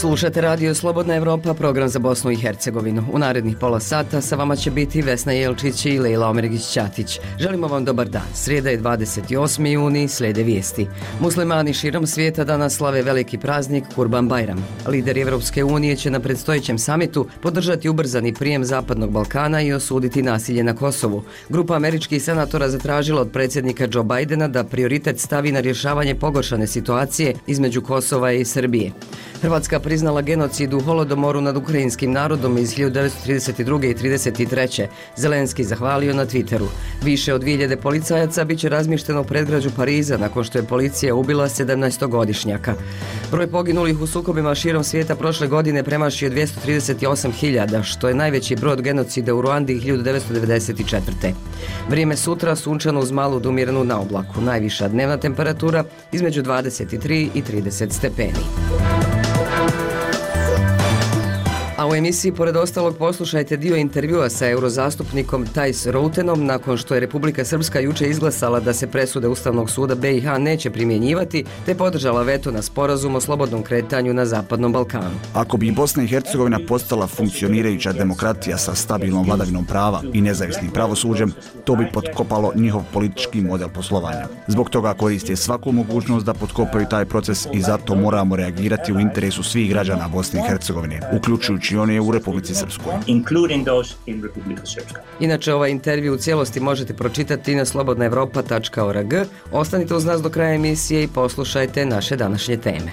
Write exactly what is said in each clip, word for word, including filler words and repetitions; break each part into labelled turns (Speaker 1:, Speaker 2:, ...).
Speaker 1: Slušate radio Slobodna Evropa, program za Bosnu i Hercegovinu. U narednih pola sata sa vama će biti Vesna Jelčić i Lejla Omeregić-Ćatić. Želimo vam dobar dan. Srijeda je dvadeset osmi juni, slijede vijesti. Muslimani širom svijeta danas slave veliki praznik Kurban Bajram. Lideri Evropske unije će na predstojećem samitu podržati ubrzani prijem Zapadnog Balkana i osuditi nasilje na Kosovu. Grupa američkih senatora zatražila od predsjednika Joe Bidena da prioritet stavi na rješavanje pogoršane situacije između Kosova i Srbije. Hrvatska priznala genocid u Holodomoru nad ukrajinskim narodom iz hiljadu devetsto trideset druge. i trideset treće. Zelenski zahvalio na Twitteru. Više od dvije hiljade policajaca bit će razmješteno u predgrađu Pariza nakon što je policija ubila sedamnaestogodišnjaka. Broj poginulih u sukobima širom svijeta prošle godine premašio dvjesto trideset osam hiljada, što je najveći broj od genocida u Ruandi hiljadu devetsto devedeset četvrte. Vrijeme sutra sunčano uz malu umiranu na oblaku. Najviša dnevna temperatura između dvadeset tri i trideset stepeni. A u emisiji pored ostalog poslušajte dio intervjua sa eurozastupnikom Thijs Routenom nakon što je Republika Srpska juče izglasala da se presude Ustavnog suda B i H neće primjenjivati, te podržala veto na sporazum o slobodnom kretanju na Zapadnom Balkanu.
Speaker 2: Ako bi Bosna i Hercegovina postala funkcionirajuća demokratija sa stabilnom vladavinom prava i nezavisnim pravosuđem, to bi potkopalo njihov politički model poslovanja. Zbog toga koriste svaku mogućnost da potkopaju taj proces i zato moramo reagirati u interesu svih građana Bosne i Hercegovine, uključujući i one u Republici Srpskoj.
Speaker 1: Inače, ovaj intervju u cijelosti možete pročitati na slobodna evropa tačka org. Ostanite uz nas do kraja emisije i poslušajte naše današnje teme.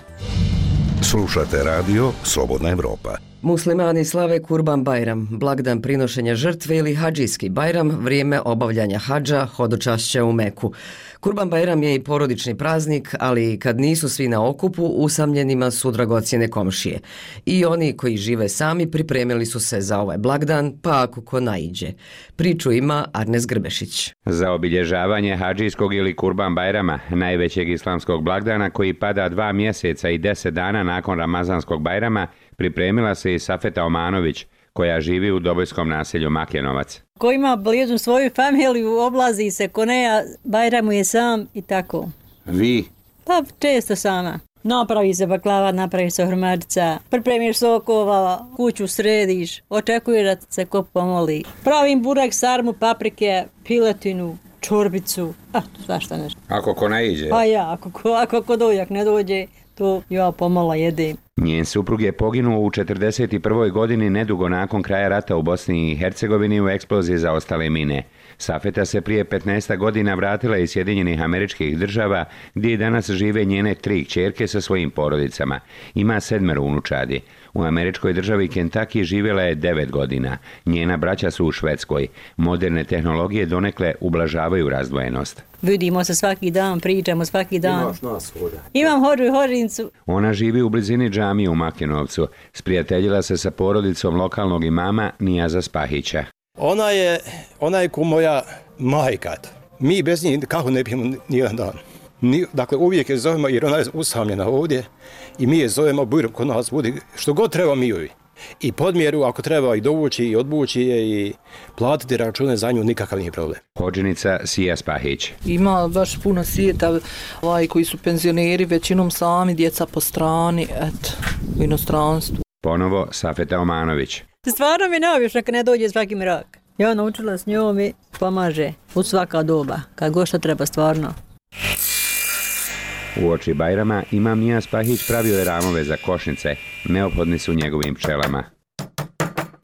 Speaker 3: Slušate radio Slobodna Evropa.
Speaker 1: Muslimani slave Kurban Bajram, blagdan prinošenja žrtve ili hadžijski Bajram, vrijeme obavljanja hadža, hodočašća u Meku. Kurban Bajram je i porodični praznik, ali kad nisu svi na okupu, usamljenima su dragocjene komšije. I oni koji žive sami pripremili su se za ovaj blagdan, pa ako ko naiđe. Priču ima Arnes Grbešić.
Speaker 4: Za obilježavanje hadžijskog ili Kurban Bajrama, najvećeg islamskog blagdana koji pada dva mjeseca i deset dana nakon Ramazanskog Bajrama, pripremila se i Safeta Omanović, koja živi u Dobojskom naselju Makljenovac.
Speaker 5: Ko ima bližnu svoju familiju, oblazi se, ko ne, Bajram je sam i tako.
Speaker 4: Vi?
Speaker 5: Pa često sama. Napravi se baklava, napravi se hrmarica, pripremiš sokova, kuću središ, očekuješ da se ko pomoli. Pravim burek, sarmu, paprike, piletinu, čorbicu, a svašta nešto.
Speaker 4: Ako ko naiđe?
Speaker 5: Pa ja, ako ko, ako ko dođe, ako ne dođe, to ja pomalo jedem.
Speaker 4: Njen suprug je poginuo u četrdeset prvoj godini nedugo nakon kraja rata u Bosni i Hercegovini u eksploziji zaostale mine. Safeta se prije petnaest godina vratila iz Sjedinjenih Američkih Država, gdje danas žive njene tri kćerke sa svojim porodicama. Ima sedmero unučadi. U američkoj državi Kentucky živjela je devet godina. Njena braća su u Švedskoj. Moderne tehnologije donekle ublažavaju razdvojenost.
Speaker 5: Vidimo se svaki dan, pričamo svaki dan.
Speaker 6: Imaš nas hoda.
Speaker 5: Imam hođu i hođincu.
Speaker 4: Ona živi u blizini džamije u Makljenovcu. Sprijateljila se sa porodicom lokalnog imama Nijaza Spahića.
Speaker 6: Ona je, ona je ko moja majka. Mi bez njih kako ne bijemo nijedan dan. Ni, dakle, uvijek je zovemo jer ona je usamljena ovdje i mi je zovemo, bujrom kod nas budi, što god treba mi joj. I podmjeru, ako treba i dovući i odbući je i platiti račune za nju, nikakav nije problem.
Speaker 4: Hođenica Sija Spahić.
Speaker 7: Ima baš puno svijeta, ovaj, koji su penzioneri, većinom sami, djeca po strani, eto, u inostranstvu.
Speaker 4: Ponovo Safeta Omanović.
Speaker 5: Stvarno mi neobično kad ne dođe svaki mrak. Ja naučila s njom i pomaže u svaka doba, kad god što treba stvarno.
Speaker 4: U oči Bajrama imam Nija Spahić pravio je ramove za košnice, neophodni su njegovim pčelama.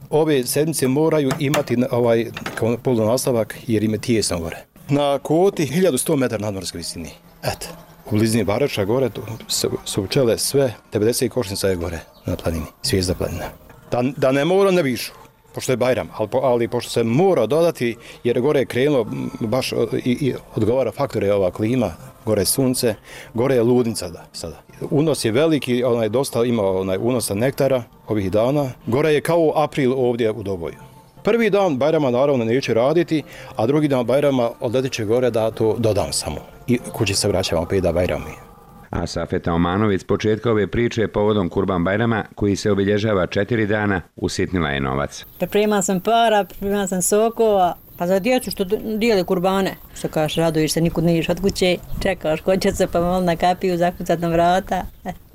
Speaker 6: Ove sedmice moraju imati ovaj kao polunastavak jer im je tijesno gore. Na kvoti hiljadu sto metara nadmorske visine. Eto, u blizini Barača gore tu su, su pčele sve, devedeset košnica je gore na planini, zvijezda planina. Da, da ne mora ne višu, pošto je Bajram, ali, ali pošto se mora dodati jer gore je krenulo baš i, i odgovara faktore ova klima, gore je sunce, gore je ludnica da, sada. Unos je veliki, onaj dosta ima onaj unosa nektara ovih dana. Gore je kao april ovdje u Doboju. Prvi dan Bajrama naravno neće raditi, a drugi dan Bajrama odletit će gore da to dodam samo. I kući se vraćamo opet da Bajram je.
Speaker 4: A Safeta Omanović s početka ove priče povodom Kurban Bajrama, koji se obilježava četiri dana, usitnila je novac.
Speaker 5: Priprema sam para, priprema sam sokova, pa za djecu što dijeli kurbane. Što kažeš, raduješ se, nikud ne ideš od kuće, čekaš ko će se pa malo na kapiju zakucat na vrata.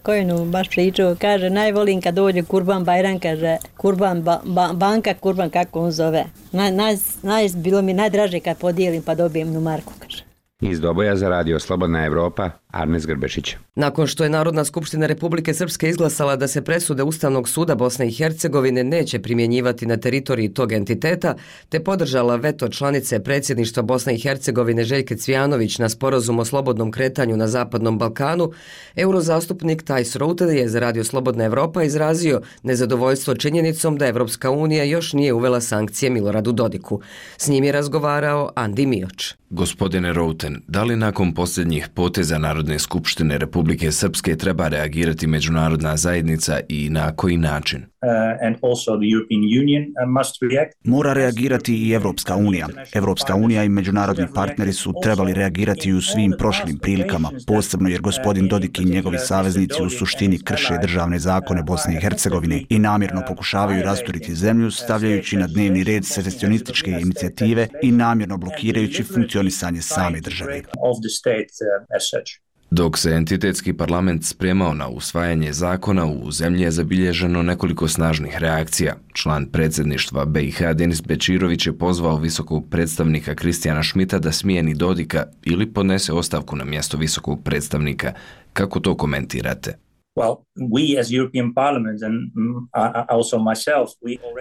Speaker 5: Kojinu baš pričao, kaže, najvolim kad dođe Kurban Bajram, kaže, Kurban ba, ba, banka, Kurban, kako on zove. Naj, naj, naj, bilo mi najdraže kad podijelim pa dobijem nu marku, kaže.
Speaker 4: Iz Doboja za radio Slobodna Evropa, Arnes Grbešić.
Speaker 1: Nakon što je Narodna skupština Republike Srpske izglasala da se presude Ustavnog suda Bosne i Hercegovine neće primjenjivati na teritoriji tog entiteta, te podržala veto članice predsjedništva Bosne i Hercegovine Željke Cvijanović na sporazum o slobodnom kretanju na Zapadnom Balkanu, eurozastupnik Thijs Routen je za radio Slobodna Evropa izrazio nezadovoljstvo činjenicom da Evropska unija još nije uvela sankcije Miloradu Dodiku. S njim je razgovarao Andi Mioč.
Speaker 8: Gospodine Routen, da li nakon posljednjih poteza Narodne skupštine Republike Srpske treba reagirati međunarodna zajednica i na koji način?
Speaker 2: Mora reagirati i Evropska unija. Evropska unija i međunarodni partneri su trebali reagirati u svim prošlim prilikama, posebno jer gospodin Dodik i njegovi saveznici u suštini krše državne zakone Bosne i Hercegovine i namjerno pokušavaju rasturiti zemlju, stavljajući na dnevni red secesionističke inicijative i namjerno blokirajući funkcionisanje same države.
Speaker 8: Dok se entitetski parlament spremao na usvajanje zakona, u zemlji je zabilježeno nekoliko snažnih reakcija. Član predsjedništva B i H Denis Bečirović je pozvao visokog predstavnika Kristijana Šmita da smijeni Dodika ili podnese ostavku na mjesto visokog predstavnika. Kako to komentirate?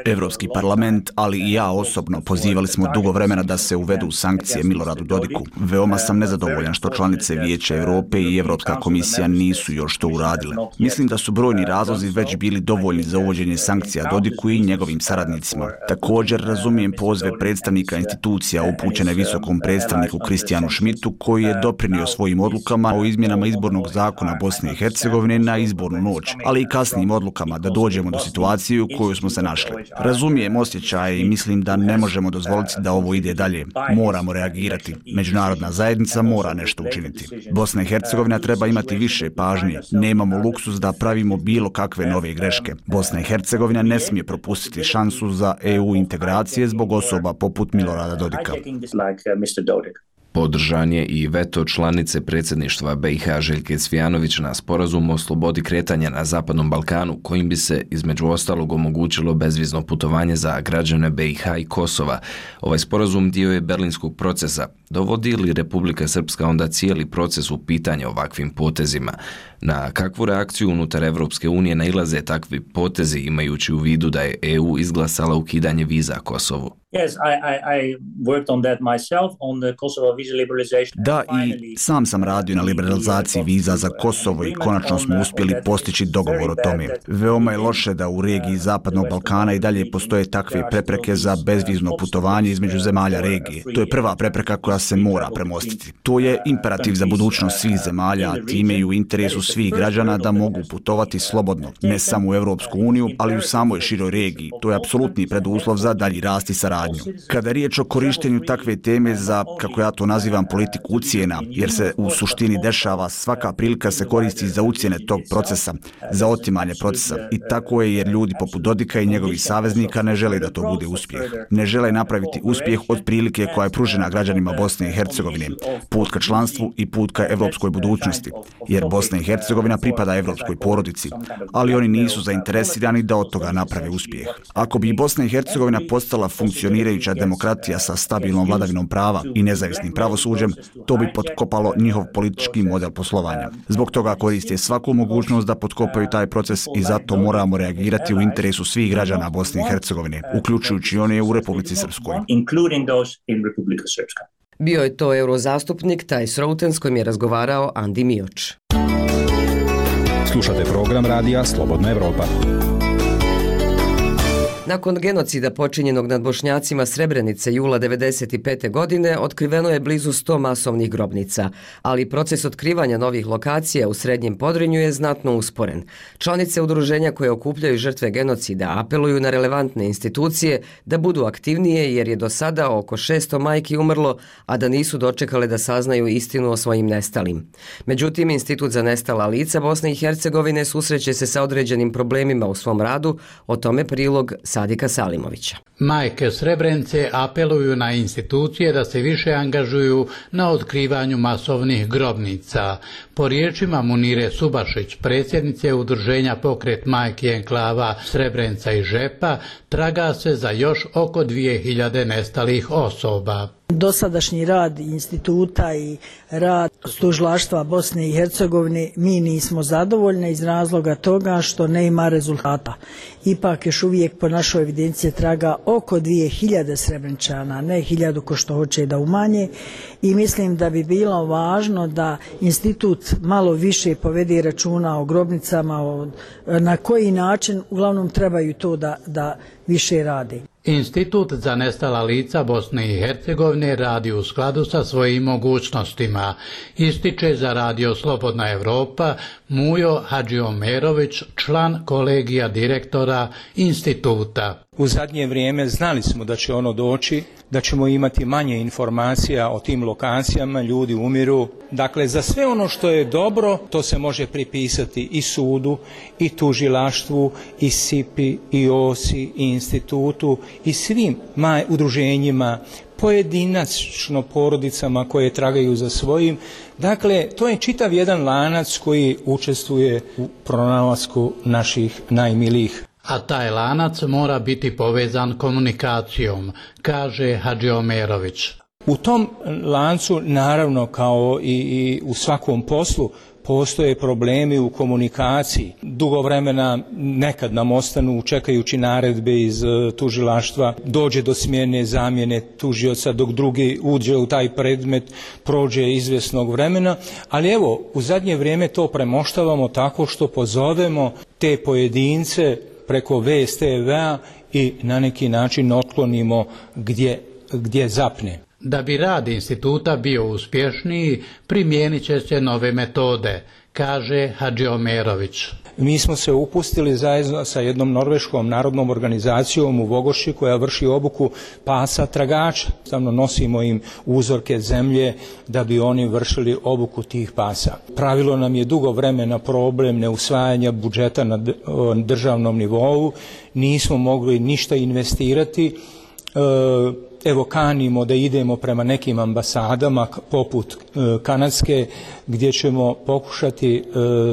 Speaker 2: Evropski parlament, ali i ja osobno pozivali smo dugo vremena da se uvedu sankcije Miloradu Dodiku. Veoma sam nezadovoljan što članice Vijeća Europe i Evropska komisija nisu još to uradile. Mislim da su brojni razlozi već bili dovoljni za uvođenje sankcija Dodiku i njegovim saradnicima. Također razumijem pozve predstavnika institucija upućene visokom predstavniku Kristijanu Šmitu, koji je doprinio svojim odlukama o izmjenama izbornog zakona Bosne i Hercegovine na izbornu noć, ali i kasnijim odlukama da dođemo do situacije u kojoj smo se našli. Razumijem osjećaje i mislim da ne možemo dozvoliti da ovo ide dalje. Moramo reagirati. Međunarodna zajednica mora nešto učiniti. Bosna i Hercegovina treba imati više pažnje. Nemamo luksus da pravimo bilo kakve nove greške. Bosna i Hercegovina ne smije propustiti šansu za E U integracije zbog osoba poput Milorada Dodika.
Speaker 8: Podržan je i veto članice predsjedništva B i H Željke Cvijanović na sporazum o slobodi kretanja na Zapadnom Balkanu, kojim bi se između ostalog omogućilo bezvizno putovanje za građane B i H i Kosova. Ovaj sporazum dio je berlinskog procesa. Dovodi li Republika Srpska onda cijeli proces u pitanje ovakvim potezima? Na kakvu reakciju unutar Evropske unije nailaze takvi potezi, imajući u vidu da je E U izglasala ukidanje viza Kosovu?
Speaker 2: Da, i sam sam radio na liberalizaciji viza za Kosovo i konačno smo uspjeli postići dogovor o tome. Veoma je loše da u regiji Zapadnog Balkana i dalje postoje takve prepreke za bezvizno putovanje između zemalja regije. To je prva prepreka koja se mora premostiti. To je imperativ za budućnost svih zemalja, a time i u interesu svih građana da mogu putovati slobodno, ne samo u Evropsku uniju, ali i u samoj široj regiji. To je apsolutni preduslov za dalji rast i saradnju. Kada je riječ o korištenju takve teme za, kako ja to nazivam, politiku ucjena, jer se u suštini dešava, svaka prilika se koristi za ucjene tog procesa, za otimanje procesa. I tako je jer ljudi poput Dodika i njegovih saveznika ne žele da to bude uspjeh. Ne žele napraviti uspjeh od prilike koja je pružena građanima Bosne i Hercegovine, put ka članstvu i put ka evropskoj budućnosti, jer Bosna i Hercegovina pripada evropskoj porodici, ali oni nisu zainteresirani da od toga naprave uspjeh. Ako bi Bosna i Hercegovina postala funkcionirajuća demokratija sa stabilnom vladavinom prava i nezavisnim pravosuđem, to bi potkopalo njihov politički model poslovanja. Zbog toga koriste svaku mogućnost da potkopaju taj proces i zato moramo reagirati u interesu svih građana Bosne i Hercegovine, uključujući one u Republici Srpskoj.
Speaker 1: Bio je to eurozastupnik Thijs Routen s kojim je razgovarao Andi Mioč.
Speaker 9: Slušate program radija Slobodna Evropa.
Speaker 1: Nakon genocida počinjenog nad Bošnjacima Srebrenice jula devedeset pete. godine otkriveno je blizu sto masovnih grobnica, ali proces otkrivanja novih lokacija u Srednjem Podrinju je znatno usporen. Članice udruženja koje okupljaju žrtve genocida apeluju na relevantne institucije da budu aktivnije jer je do sada oko šesto majki umrlo, a da nisu dočekale da saznaju istinu o svojim nestalim. Međutim, Institut za nestala lica Bosne i Hercegovine susreće se sa određenim problemima u svom radu, o tome prilog Sadika Salimovića.
Speaker 10: Majke Srebrenice apeluju na institucije da se više angažuju na otkrivanju masovnih grobnica. Po riječima Munire Subašić, predsjednice Udruženja Pokret majki enklava Srebrenica i Žepa, traga se za još oko dvije hiljade nestalih osoba.
Speaker 11: Dosadašnji rad instituta i rad tužilaštva Bosne i Hercegovine mi nismo zadovoljni iz razloga toga što ne ima rezultata. Ipak još uvijek po našoj evidenciji traga oko dvije hiljade Srebreničana, ne hiljadu ko što hoće da umanje, i mislim da bi bilo važno da institut malo više povede računa o grobnicama, o, na koji način uglavnom trebaju to da, da više radi.
Speaker 10: Institut za nestala lica Bosne i Hercegovine radi u skladu sa svojim mogućnostima, ističe za Radio Slobodna Evropa Mujo Hadžiomerović, član kolegija direktora instituta.
Speaker 12: U zadnje vrijeme znali smo da će ono doći, da ćemo imati manje informacija o tim lokacijama, ljudi umiru. Dakle, za sve ono što je dobro, to se može pripisati i sudu, i tužilaštvu, i S I P I, i O S I, i institutu, i svim maj, udruženjima, pojedinačno porodicama koje tragaju za svojim. Dakle, to je čitav jedan lanac koji učestvuje u pronalasku naših najmilijih.
Speaker 10: A taj lanac mora biti povezan komunikacijom, kaže Hadžiomerović.
Speaker 12: U tom lancu, naravno, kao i, i u svakom poslu, postoje problemi u komunikaciji. Dugo vremena nekad nam ostanu čekajući naredbe iz tužilaštva, dođe do smjene zamjene tužioca dok drugi uđe u taj predmet, prođe izvjesnog vremena, ali evo, u zadnje vrijeme to premoštavamo tako što pozovemo te pojedince preko V S T V-a i na neki način otklonimo gdje, gdje zapne.
Speaker 10: Da bi rad instituta bio uspješniji, primijenit će se nove metode, kaže Hadžiomerović.
Speaker 12: Mi smo se upustili zajedno sa jednom norveškom narodnom organizacijom u Vogoši koja vrši obuku pasa tragača. Stavno nosimo im uzorke zemlje da bi oni vršili obuku tih pasa. Pravilo nam je dugo vremena problem neusvajanja budžeta na državnom nivou. Nismo mogli ništa investirati. Evo, kanimo da idemo prema nekim ambasadama poput kanadske gdje ćemo pokušati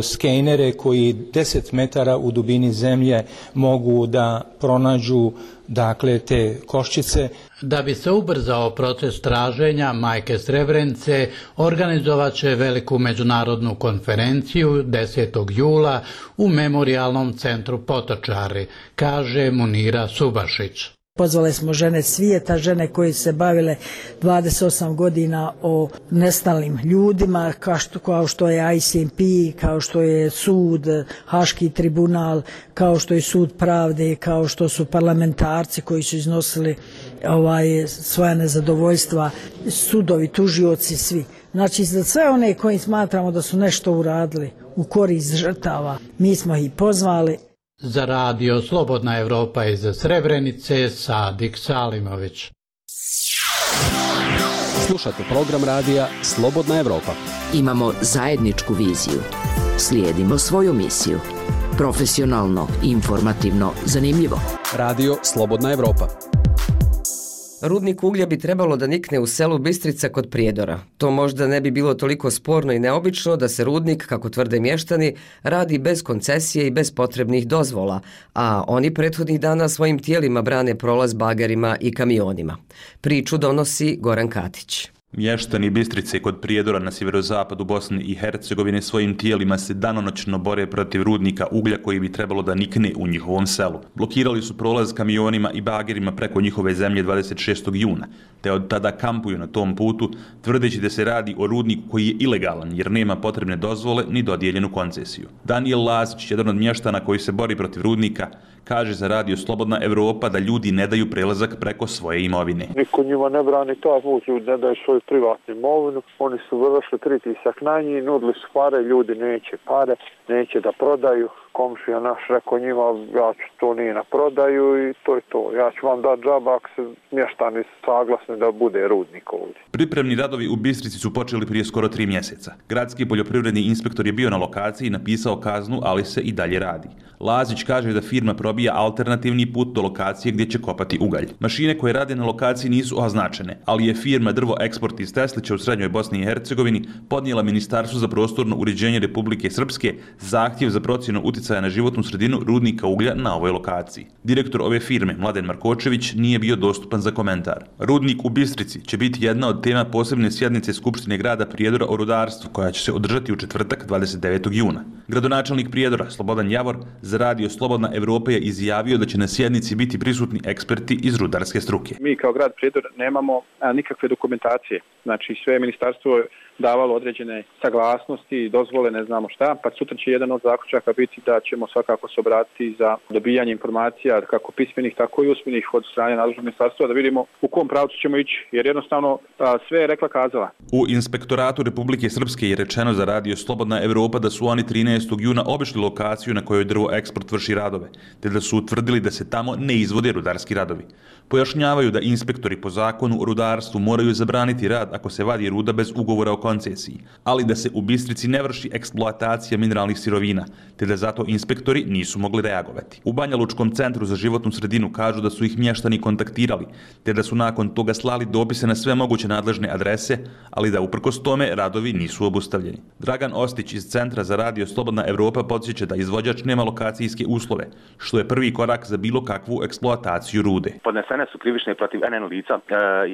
Speaker 12: skenere koji deset metara u dubini zemlje mogu da pronađu, dakle, te koščice.
Speaker 10: Da bi se ubrzao proces traženja, majke Srebrenice organizovat će veliku međunarodnu konferenciju desetog jula u Memorijalnom centru Potočari, kaže Munira Subašić.
Speaker 11: Pozvali smo žene svijeta, žene koje se bavile dvadeset osam godina o nestalim ljudima, kao što, kao što je I C M P, kao što je sud, Haški tribunal, kao što je sud pravde, kao što su parlamentarci koji su iznosili ovaj, svoja nezadovoljstva, sudovi, tužioci, svi. Znači, za sve one koji smatramo da su nešto uradili u korist žrtava, mi smo ih pozvali.
Speaker 10: Za Radio Slobodna Evropa iz Srebrenice, Sadik Salimović.
Speaker 9: Slušate program radija Slobodna Evropa.
Speaker 13: Imamo zajedničku viziju. Slijedimo svoju misiju. Profesionalno, informativno, zanimljivo.
Speaker 9: Radio Slobodna Evropa.
Speaker 1: Rudnik uglja bi trebalo da nikne u selu Bistrica kod Prijedora. To možda ne bi bilo toliko sporno i neobično da se rudnik, kako tvrde mještani, radi bez koncesije i bez potrebnih dozvola, a oni prethodnih dana svojim tijelima brane prolaz bagerima i kamionima. Priču donosi Goran Katić.
Speaker 14: Mještani Bistrice kod Prijedora na sjeverozapadu Bosne i Hercegovine svojim tijelima se danonoćno bore protiv rudnika uglja koji bi trebalo da nikne u njihovom selu. Blokirali su prolaz kamionima i bagerima preko njihove zemlje dvadeset šestog juna, te od tada kampuju na tom putu, tvrdeći da se radi o rudniku koji je ilegalan jer nema potrebne dozvole ni dodijeljenu koncesiju. Daniel Lazić, jedan od mještana koji se bori protiv rudnika, kaže za Radio Slobodna Evropa da ljudi ne daju prelazak preko svoje imovine.
Speaker 15: Niko njima ne brani taj put, ljudi ne daju svoju privatnu imovinu, oni su vršili pritisak na njih, nudili su pare, ljudi neće pare, neće da prodaju, komšija naš rekao njima, ja ću to nije na prodaju i to je to. Ja ću vam dati džaba ako se mještani saglasni da bude rudnik ovdje.
Speaker 14: Pripremni radovi u Bistrici su počeli prije skoro tri mjeseca. Gradski poljoprivredni inspektor je bio na lokaciji i napisao kaznu, ali se i dalje radi. Lazić kaže da firma probija alternativni put do lokacije gdje će kopati ugalj. Mašine koje rade na lokaciji nisu označene, ali je firma Drvo Eksport iz Teslića u srednjoj Bosni i Hercegovini podnijela Ministarstvu za prostorno uređenje Republike Srpske zahtjev za procjenu utjecaja na životnu sredinu rudnika uglja na ovoj lokaciji. Direktor ove firme, Mladen Markočević, nije bio dostupan za komentar. Rudnik u Bistrici će biti jedna od tema posebne sjednice Skupštine grada Prijedora o rudarstvu, koja će se održati u četvrtak dvadeset devetog juna. Gradonačelnik Prijedora, Slobodan Javor, za radio Slobodna Evropa je izjavio da će na sjednici biti prisutni eksperti iz rudarske struke.
Speaker 16: Mi kao grad Prijedor nemamo a, nikakve dokumentacije. Znači sve ministarstvo je davalo određene saglasnosti, dozvole, ne znamo šta, pa sutra će jedan od zaključaka biti da ćemo svakako se obratiti za dobijanje informacija, kako pismenih, tako i usmenih od strane nadležnog ministarstva, da vidimo u kom pravcu ćemo ići, jer jednostavno a, sve je rekla kazala.
Speaker 14: U Inspektoratu Republike Srpske je rečeno za radio Slobodna Evropa da su oni trinaestog juna obišli lokaciju na kojoj Drvo Eksport vrši radove, te da su utvrdili da se tamo ne izvode rudarski radovi. Pojašnjavaju da inspektori po zakonu o rudarstvu moraju zabraniti rad ako se vadi ruda bez ugovora o koncesiji, ali da se u Bistrici ne vrši eksploatacija mineralnih sirovina, te da zato inspektori nisu mogli reagovati. U Banja Lučkom centru za životnu sredinu kažu da su ih mještani kontaktirali, te da su nakon toga slali dopise na sve moguće nadležne adrese, ali da uprkos tome radovi nisu obustavljeni. Dragan Ostić iz Centra za radio Slobodna Evropa podsjeća da izvođač nema lokacijske uslove, što je prvi korak za bilo kakvu eksploataciju rude.
Speaker 17: Podnesene su krivične protiv N N lica,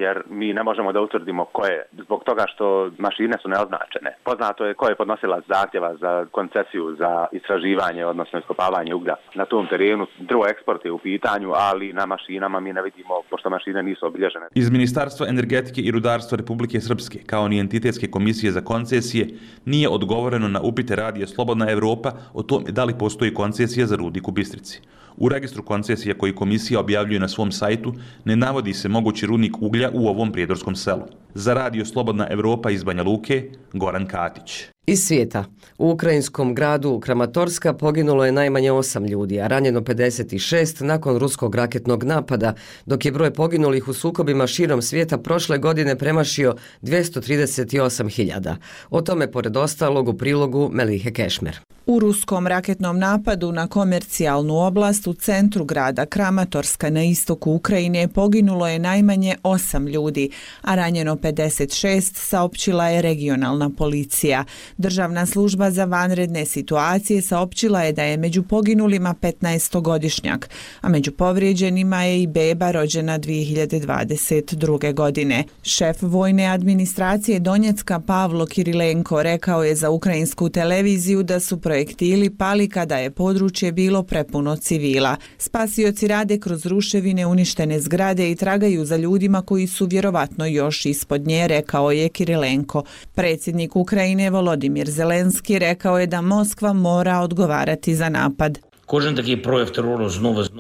Speaker 17: jer mi ne možemo da utvrdimo ko je, zbog toga što mašine su neoznačene. Poznato je ko je podnosilac zahtjeva za koncesiju za istraživanje, odnosno iskopavanje uglja. Na tom terenu Drvo Eksport je u pitanju, ali na mašinama mi ne vidimo, pošto mašine nisu obilježene.
Speaker 14: Iz Ministarstva energetike i rudarstva Republike Srpske, kao ni Entitetske komisije za koncesije, nije odgovoreno na upite radija Slobodna Evropa o tome da li postoji koncesija za rudnik u Bistrici. U registru koncesija koji komisija objavljuje na svom sajtu ne navodi se mogući rudnik uglja u ovom prijedorskom selu. Za radio Slobodna Evropa iz Banja Luke, Goran Katić.
Speaker 1: Iz svijeta. U ukrajinskom gradu Kramatorska poginulo je najmanje osam ljudi, a ranjeno pedeset šest nakon ruskog raketnog napada, dok je broj poginulih u sukobima širom svijeta prošle godine premašio dvjesto trideset osam hiljada. O tome, pored ostalog, u prilogu Melihe Kešmer.
Speaker 18: U ruskom raketnom napadu na komercijalnu oblast u centru grada Kramatorska na istoku Ukrajine poginulo je najmanje osam ljudi, a ranjeno pedeset šest, saopćila je regionalna policija. Državna služba za vanredne situacije saopćila je da je među poginulima petnaestogodišnjak, a među povrijeđenima je i beba rođena dvije hiljade dvadeset druge. godine. Šef vojne administracije Donjecka Pavlo Kirilenko rekao je za ukrajinsku televiziju da su projektili pali kada je područje bilo prepuno civila. Spasioci rade kroz ruševine uništene zgrade i tragaju za ljudima koji su vjerovatno još ispod nje, rekao je Kirilenko. Predsjednik Ukrajine Volodimir Zelenski rekao je da Moskva mora odgovarati za napad.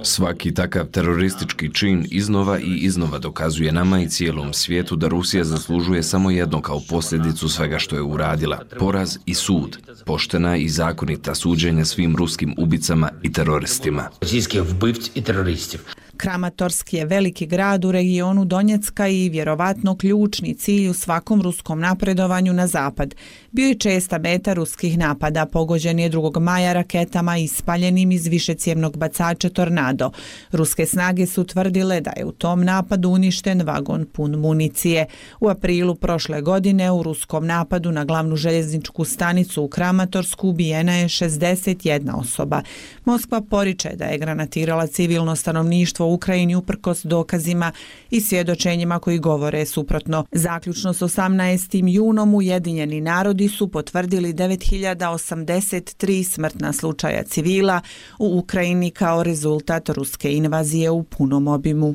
Speaker 8: Svaki takav teroristički čin iznova i iznova dokazuje nama i cijelom svijetu da Rusija zaslužuje samo jedno kao posljedicu svega što je uradila. Poraz i sud. Poštena i zakonita suđenja svim ruskim ubicama i teroristima.
Speaker 18: Kramatorski je veliki grad u regionu Donjecka i vjerovatno ključni cilj u svakom ruskom napredovanju na zapad. Bio je česta meta ruskih napada, pogođen je drugog maja raketama ispaljenim iz višecjevnog bacača Tornado. Ruske snage su tvrdile da je u tom napadu uništen vagon pun municije. U aprilu prošle godine u ruskom napadu na glavnu željezničku stanicu u Kramatorsku ubijena je šezdeset jedna osoba. Moskva poriče da je granatirala civilno stanovništvo u Ukrajini uprkos dokazima i svjedočenjima koji govore suprotno. Zaključno s osamnaestim junom Ujedinjeni narodi su potvrdili devet hiljada osamdeset tri smrtna slučaja civila u Ukrajini kao rezultat ruske invazije u punom obimu.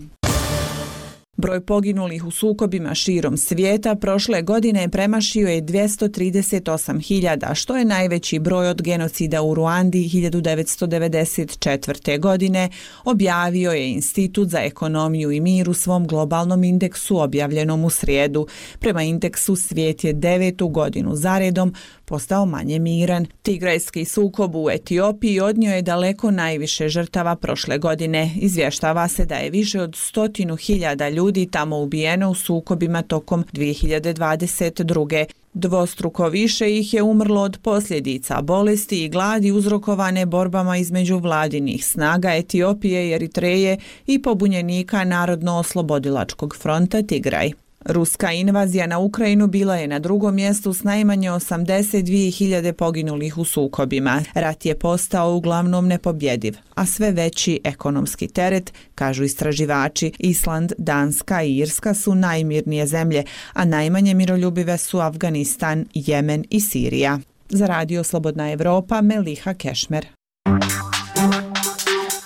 Speaker 18: Broj poginulih u sukobima širom svijeta prošle godine premašio je dvjesto trideset osam hiljada, što je najveći broj od genocida u Ruandi hiljadu devetsto devedeset četvrte. godine, objavio je Institut za ekonomiju i mir u svom globalnom indeksu objavljenom u srijedu. Prema indeksu svijet je devetu godinu zaredom postao manje miran. Tigrajski sukob u Etiopiji odnio je daleko najviše žrtava prošle godine. Izvještava se da je više od stotinu hiljada ljudi tamo ubijeno u sukobima tokom dvije hiljade dvadeset druge. Dvostruko više ih je umrlo od posljedica bolesti i gladi uzrokovane borbama između vladinih snaga Etiopije i Eritreje i pobunjenika Narodno-oslobodilačkog fronta Tigraj. Ruska invazija na Ukrajinu bila je na drugom mjestu s najmanje osamdeset dvije hiljade poginulih u sukobima. Rat je postao uglavnom nepobjediv, a sve veći ekonomski teret, kažu istraživači. Island, Danska i Irska su najmirnije zemlje, a najmanje miroljubive su Afganistan, Jemen i Sirija. Za Radio Slobodna Evropa, Meliha Kešmer.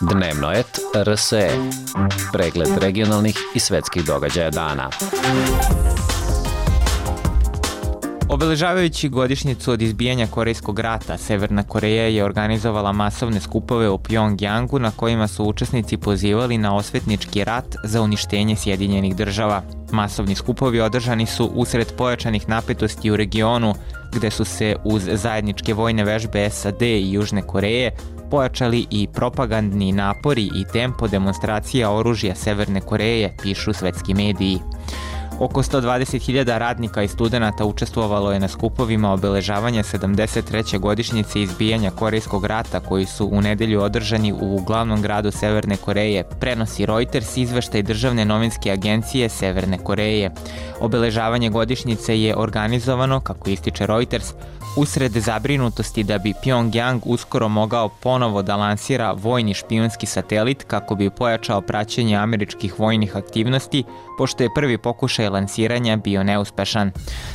Speaker 19: Dnevno et R S E. Pregled regionalnih i svetskih događaja dana.
Speaker 20: Obeležavajući godišnjicu od izbijanja Korejskog rata, Severna Koreja je organizovala masovne skupove u Pjongjangu na kojima su učesnici pozivali na osvetnički rat za uništenje Sjedinjenih država. Masovni skupovi održani su usred pojačanih napetosti u regionu, gde su se uz zajedničke vojne vežbe S A D i Južne Koreje pojačali i propagandni napori i tempo demonstracija oružja Severne Koreje, pišu svetski mediji. Oko sto dvadeset hiljada radnika i studenata učestvovalo je na skupovima obeležavanja sedamdeset treće godišnjice izbijanja Korejskog rata koji su u nedelju održani u glavnom gradu Severne Koreje, prenosi Reuters izveštaj državne novinske agencije Severne Koreje. Obeležavanje godišnjice je organizovano, kako ističe Reuters, usred zabrinutosti da bi Pjongjang uskoro mogao ponovo da lansira vojni špijunski satelit kako bi pojačao praćenje američkih vojnih aktivnosti, pošto je prvi pokušaj lansiranja bio neuspešan.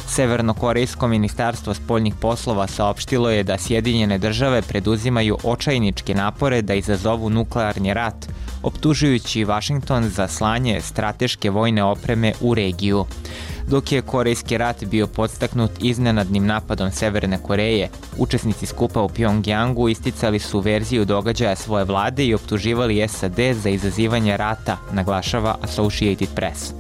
Speaker 20: Severnokorejsko ministarstvo spoljnih poslova saopštilo je da Sjedinjene države preduzimaju očajničke napore da izazovu nuklearni rat, optužujući Vašington za slanje strateške vojne opreme u regiju. Dok je Korejski rat bio podstaknut iznenadnim napadom Severne Koreje, učesnici skupa u Pjongjangu isticali su verziju događaja svoje vlade i optuživali S A D za izazivanje rata, naglašava Associated Press.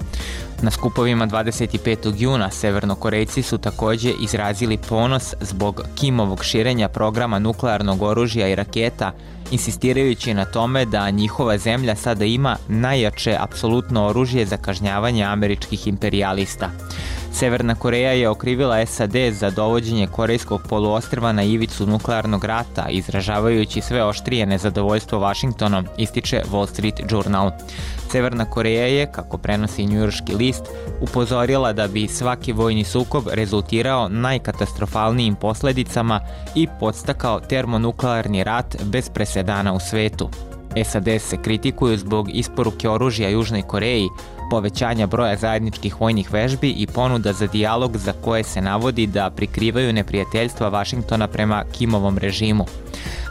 Speaker 20: Na skupovima dvadeset petog juna Severnokorejci su također izrazili ponos zbog Kimovog širenja programa nuklearnog oružja i raketa, insistirajući na tome da njihova zemlja sada ima najjače apsolutno oružje za kažnjavanje američkih imperijalista. Severna Koreja je okrivila S A D za dovođenje Korejskog poluostrva na ivicu nuklearnog rata, izražavajući sve oštrije nezadovoljstvo Vašingtonom, ističe Wall Street Journal. Severna Koreja je, kako prenosi njujorški list, upozorila da bi svaki vojni sukob rezultirao najkatastrofalnijim posledicama i podstakao termonuklearni rat bez presedana u svetu. S A D se kritikuju zbog isporuke oružja Južnoj Koreji, povećanja broja zajedničkih vojnih vežbi i ponuda za dijalog za koje se navodi da prikrivaju neprijateljstva Vašingtona prema Kimovom režimu.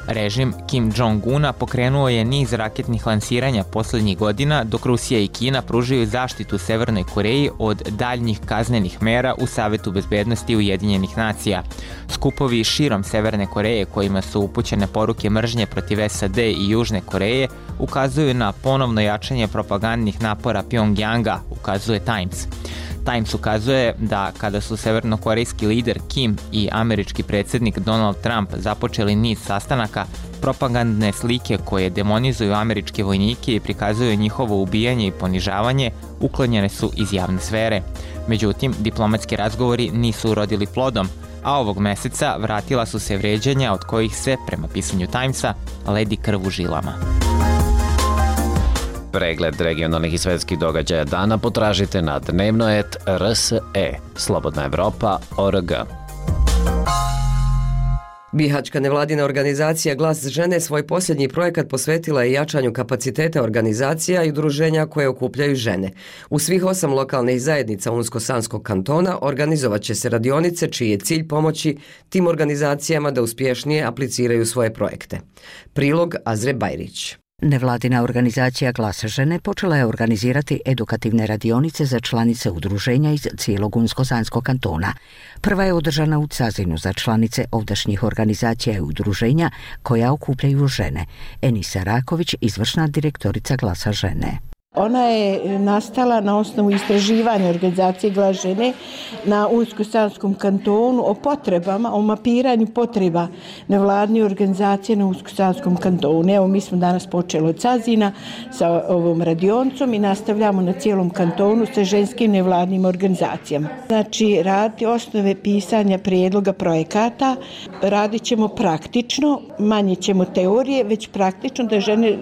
Speaker 20: Režim Kim Jong-una pokrenuo je niz raketnih lansiranja posljednjih godina, dok Rusija i Kina pružaju zaštitu Severnoj Koreji od daljnjih kaznenih mera u Savetu bezbednosti Ujedinjenih nacija. Skupovi širom Severne Koreje kojima su upućene poruke mržnje protiv S A D i Južne Koreje ukazuju na ponovno jačanje propagandnih napora Pjongjanga, ukazuje Times. Times ukazuje da kada su severnokorejski lider Kim i američki predsjednik Donald Trump započeli niz sastanaka, propagandne slike koje demonizuju američke vojnike i prikazuju njihovo ubijanje i ponižavanje uklonjene su iz javne sfere. Međutim, diplomatski razgovori nisu urodili plodom, a ovog meseca vratila su se vređanja od kojih se, prema pisanju Timesa, ledi krv u žilama.
Speaker 19: Pregled regionalnih i svetskih događaja dana potražite na dnevno et R S E, Slobodna Evropa, O R G.
Speaker 1: Bihaćka nevladina organizacija Glas žene svoj posljednji projekat posvetila je jačanju kapaciteta organizacija i udruženja koje okupljaju žene. U svih osam lokalnih zajednica Unsko-Sanskog kantona organizovat će se radionice čiji je cilj pomoći tim organizacijama da uspješnije apliciraju svoje projekte. Prilog Azre Bajrić.
Speaker 21: Nevladina organizacija Glas žene počela je organizirati edukativne radionice za članice udruženja iz cijelog Unsko-Sanskog kantona. Prva je održana u Cazinu za članice ovdašnjih organizacija i udruženja koja okupljaju žene. Enisa Raković, izvršna direktorica Glasa žene.
Speaker 3: Ona je nastala na osnovu istraživanja organizacije Glas žene na Unsko-Sanskom kantonu o potrebama, o mapiranju potreba nevladne organizacije na Unsko-Sanskom kantonu. Evo, mi smo danas počeli od Cazina sa ovom radionicom i nastavljamo na cijelom kantonu sa ženskim nevladnim organizacijama. Znači, radi osnove pisanja prijedloga projekata, radit ćemo praktično, manje ćemo teorije, već praktično da žene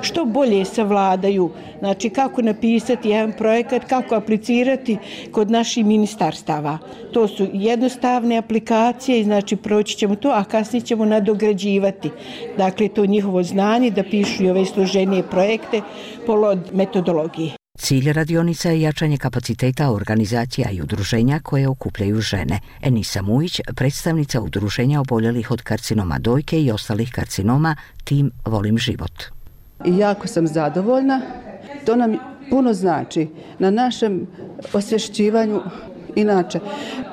Speaker 3: što bolje savladaju. Znači, kako napisati jedan projekat, kako aplicirati kod naših ministarstava. To su jednostavne aplikacije i znači proći ćemo to, a kasnije ćemo nadograđivati. Dakle, to njihovo znanje da pišu i ove složenije projekte po metodologiji.
Speaker 21: Cilj radionica je jačanje kapaciteta organizacija i udruženja koje okupljaju žene. Enisa Mujić, predstavnica udruženja oboljelih od karcinoma dojke i ostalih karcinoma, tim Volim život.
Speaker 22: I jako sam zadovoljna. To nam puno znači na našem osvješćivanju inače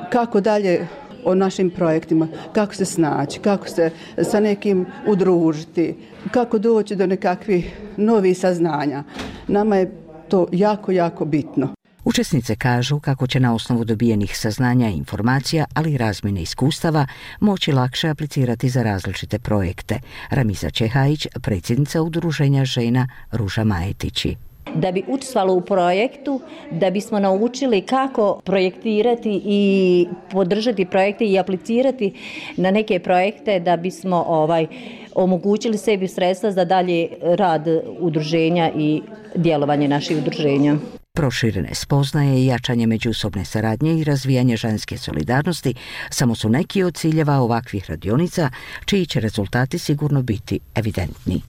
Speaker 22: kako dalje o našim projektima, kako se snaći, kako se sa nekim udružiti, kako doći do nekakvih novih saznanja. Nama je to jako, jako bitno.
Speaker 21: Učesnice kažu kako će na osnovu dobijenih saznanja i informacija, ali i razmjene iskustava, moći lakše aplicirati za različite projekte. Ramiza Čehajić, predsjednica udruženja žena Ruža Majetići.
Speaker 23: Da bi učestvovalo u projektu, da bismo naučili kako projektirati i podržati projekte i aplicirati na neke projekte, da bismo ovaj omogućili sebi sredstva za dalje rad udruženja i djelovanje naših udruženja.
Speaker 21: Proširene spoznaje i jačanje međusobne saradnje i razvijanje ženske solidarnosti samo su neki od ciljeva ovakvih radionica, čiji će rezultati sigurno biti evidentni.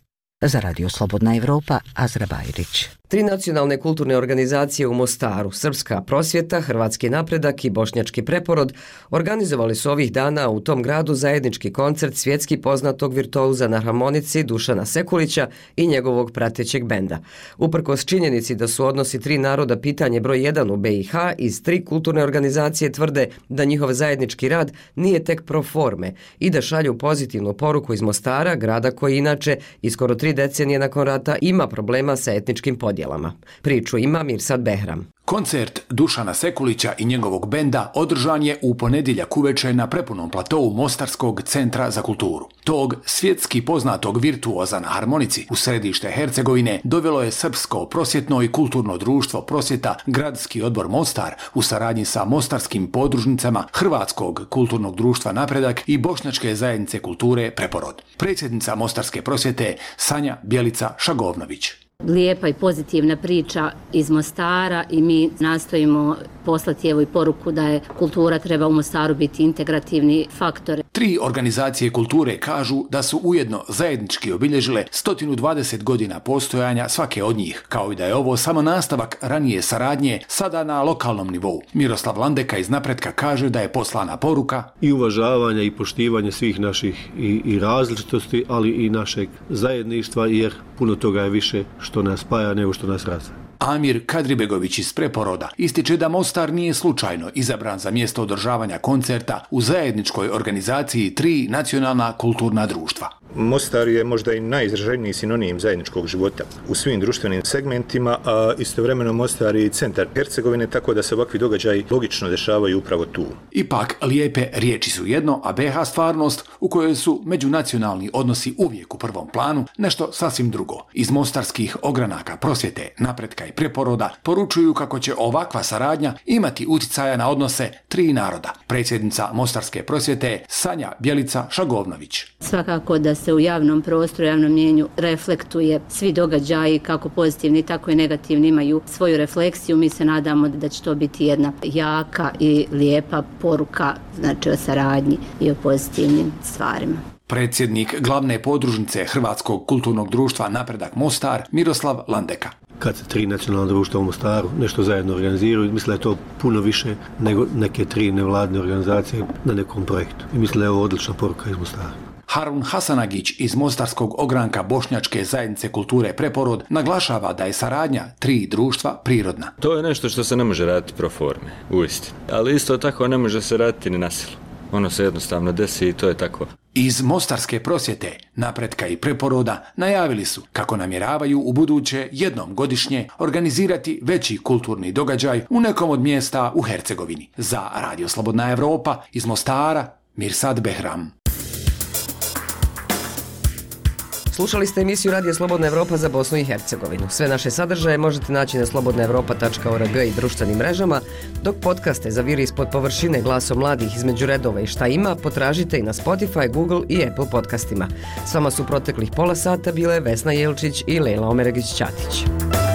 Speaker 21: Za Radio Slobodna Evropa, Azra Bajrić.
Speaker 1: Tri nacionalne kulturne organizacije u Mostaru, Srpska prosvjeta, Hrvatski napredak i Bošnjački preporod, organizovali su ovih dana u tom gradu zajednički koncert svjetski poznatog virtuoza na harmonici Dušana Sekulića i njegovog pratećeg benda. Uprkos činjenici da su odnosi tri naroda pitanje broj jedan u B i H, iz tri kulturne organizacije tvrde da njihov zajednički rad nije tek pro forme i da šalju pozitivnu poruku iz Mostara, grada koji inače i skoro tri decenije nakon rata ima problema sa etničkim podjelama. Priču ima Mirsad Behram.
Speaker 24: Koncert Dušana Sekulića i njegovog benda održan je u ponedjeljak uveče na prepunom platovu Mostarskog centra za kulturu. Tog svjetski poznatog virtuoza na harmonici u središte Hercegovine dovelo je Srpsko prosvjetno i kulturno društvo prosvjeta Gradski odbor Mostar u saradnji sa mostarskim podružnicama Hrvatskog kulturnog društva Napredak i Bošnjačke zajednice kulture Preporod. Predsjednica Mostarske prosvjete Sanja Bjelica Šagovnović.
Speaker 25: Lijepa i pozitivna priča iz Mostara i mi nastojimo poslati evo i poruku da je kultura treba u Mostaru biti integrativni faktor.
Speaker 24: Tri organizacije kulture kažu da su ujedno zajednički obilježile sto dvadeset godina postojanja svake od njih, kao i da je ovo samo nastavak ranije saradnje sada na lokalnom nivou. Miroslav Landeka iz Napretka kaže da je poslana poruka
Speaker 26: i uvažavanja i poštivanja svih naših i, i različitosti, ali i našeg zajedništva, jer puno toga je više što nas spaja nego što nas razdvaja.
Speaker 24: Amir Kadribegović iz Preporoda ističe da Mostar nije slučajno izabran za mjesto održavanja koncerta u zajedničkoj organizaciji tri nacionalna kulturna društva.
Speaker 27: Mostar je možda i najizraženiji sinonim zajedničkog života u svim društvenim segmentima, a istovremeno Mostar je i centar Hercegovine, tako da se ovakvi događaji logično dešavaju upravo tu.
Speaker 24: Ipak, lijepe riječi su jedno, a B H stvarnost u kojoj su međunacionalni odnosi uvijek u prvom planu, nešto sasvim drugo. Iz mostarskih ogranaka prosvjete, Napretka i Preporoda poručuju kako će ovakva saradnja imati utjecaja na odnose tri naroda. Predsjednica Mostarske prosvjete Sanja Bjelica Šagovnović.
Speaker 25: Svakako da se u javnom prostoru, javnom mjenju reflektuje svi događaji, kako pozitivni, tako i negativni imaju svoju refleksiju. Mi se nadamo da će to biti jedna jaka i lijepa poruka, znači o saradnji i o pozitivnim stvarima.
Speaker 24: Predsjednik glavne podružnice Hrvatskog kulturnog društva Napredak Mostar, Miroslav Landeka.
Speaker 26: Kad se tri nacionalna društva u Mostaru nešto zajedno organiziraju, mislim da je to puno više nego neke tri nevladne organizacije na nekom projektu. I mislim da je ovo odlična poruka iz Mostara.
Speaker 24: Harun Hasanagić iz Mostarskog ogranka Bošnjačke zajednice kulture Preporod naglašava da je saradnja tri društva prirodna.
Speaker 28: To je nešto što se ne može raditi pro forme, uistinu. Ali isto tako ne može se raditi ni na silu. Ono se jednostavno desi i to je tako.
Speaker 24: Iz Mostarske prosvjete, napretka i preporoda najavili su kako namjeravaju u buduće jednom godišnje organizirati veći kulturni događaj u nekom od mjesta u Hercegovini. Za Radio Slobodna Evropa iz Mostara, Mirsad Behram.
Speaker 1: Slušali ste emisiju Radija Slobodna Evropa za Bosnu i Hercegovinu. Sve naše sadržaje možete naći na slobodna evropa tačka org i društvenim mrežama, dok podcaste za Viri ispod površine, Glasom mladih, Između redova i Šta ima potražite i na Spotify, Google i Apple podcastima. S vama su proteklih pola sata bile Vesna Jelčić i Lejla Omeregić-Ćatić.